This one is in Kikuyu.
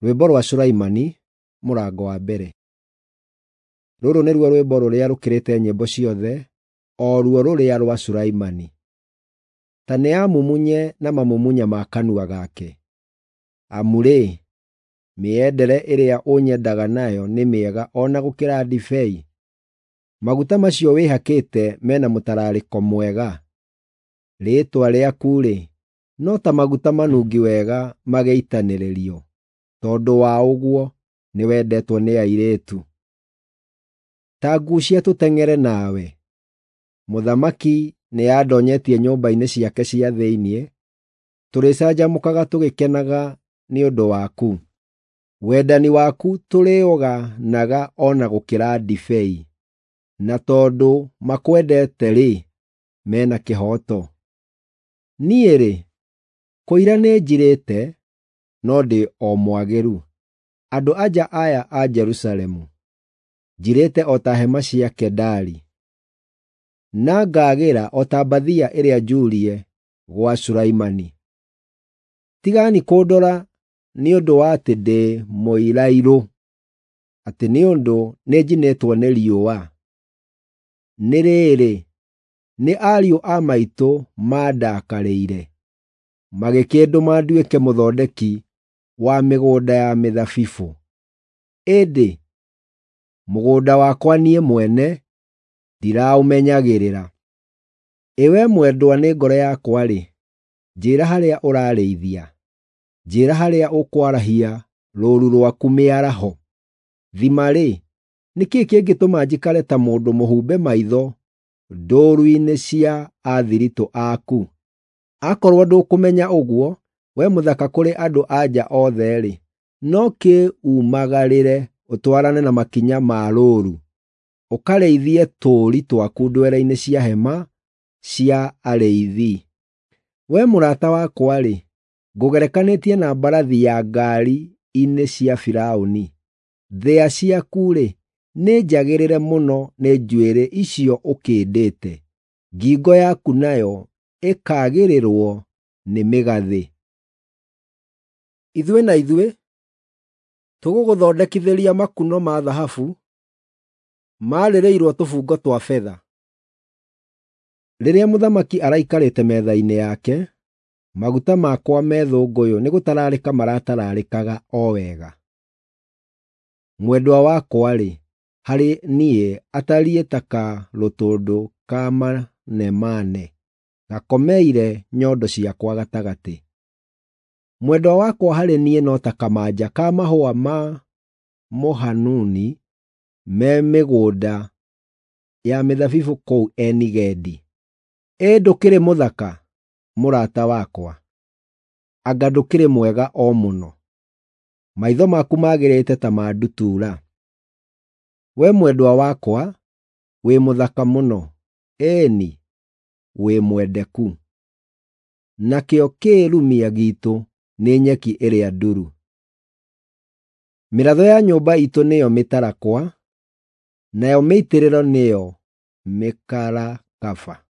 Rwĩmbo rwa Sulaimani, mũrango wa mbere. Rũrũ nĩruo rwĩmbo rũrĩa rũkĩrĩte nyĩmbo ciothe, o ruo rũrĩa rwa Sulaimani. Ta nĩamumunye na mamumunya ma kanua gake. Amu-rĩ, mĩendere ĩrĩa ũnyendaga nayo nĩ mĩega o na gũkĩra ndibei. Maguta macio wĩhakĩte me na mũtararĩko mwega. Rĩĩtwa rĩaku-rĩ, no ta maguta manungi wega magĩitanĩrĩrio. Tondũ wa ũguo nĩwendetwo nĩ airĩtu. Ta nguucia tũteng'ere nawe. Mũthamaki nĩandonyetie nyũmba-inĩ ciake cia thĩinĩ, tũrĩcanjamũkaga tũgĩkenaga nĩ ũndũ waku. Wendani waku tũrĩũganaga o na gũkĩra ndibei, na tondũ makwendete-rĩ, me na kĩhooto. Niĩ-rĩ, kũira nĩnjirĩte, no ndĩ o mwagĩru. Andũ-a-nja aya a Jerusalemu, njirĩte o ta hema cia Kedari, na ngaagĩra o ta mbathia ĩrĩa njuurie gwa Sulaimani. Tigani kũndora nĩ ũndũ wa atĩ ndĩ mũirairũ, atĩ nĩ ũndũ nĩnjinĩtwo nĩ riũa. Nĩ rĩrĩ, nĩ ariũ a maitũ mandakarĩire, magĩkĩndũma nduĩke mũthondeki wa mĩgũnda ya mĩthabibũ. Ĩndĩ mũgũnda wakwa niĩ mwene ndiraũmenyagĩrĩra. Ĩ wee mwendwa nĩ ngoro yakwa-rĩ, njĩĩra harĩa ũrarĩithia, njĩĩra harĩa ũkwarahia rũũru rwaku mĩaraho. Thima-rĩ, nĩ kĩĩ kĩngĩtũma njikare ta mũndũ mũhumbe maitho ndũũru-inĩ cia athiritũ aku? Akorwo ndũkũmenya ũguo, wee mũthaka kũrĩ andũ-a-nja othe-rĩ, no kĩũmagarĩre ũtwarane na makinya ma rũũru, ũkarĩithie tũũri twaku ndwere-inĩ cia hema cia arĩithi. Wee mũrata wakwa-rĩ, ngũgerekanĩtie na mbarathi ya ngaari-inĩ cia Firaũni. Thĩa ciaku-rĩ, nĩ njagĩrĩre mũno nĩ njuĩrĩ icio ũkĩndĩte, ngingo yaku nayo ĩkaagĩrĩrwo nĩ mĩgathĩ. Ithuĩ na ithuĩ tũgũgũthondekithĩria makuno ma thahabu marĩrĩirwo tũbungo twa betha. Rĩrĩa mũthamaki araikarĩte metha-inĩ yake, maguta makwa me thũngũyũ nĩgũtararĩka maratararĩkaga o wega. Mwendwa wakwa-rĩ, harĩ niĩ atariĩ ta karũtũndũ ka manemane gakomeire nyondo ciakwa gatagatĩ. Mwendwa wakwa harĩ niĩ no ta kamanja ka mahũa ma mũhanuni me mĩgũnda ya mĩthabibũ kũu Eni-Gedi. Ĩ ndũkĩrĩ mũthaka, mũrata wakwa! Anga ndũkĩrĩ mwega o mũno! Maitho maku magĩrĩte ta ma ndutura. Wee mwendwa wakwa, wĩ mũthaka mũno, ĩĩ-ni, wĩ mwendeku! Nakĩo kĩĩrumia giitũ nĩ nyeki ĩrĩa nduru. Mĩratho ya nyũmba iitũ nĩyo mĩtarakwa, nayo mĩitĩrĩro nĩyo mĩkarakaba.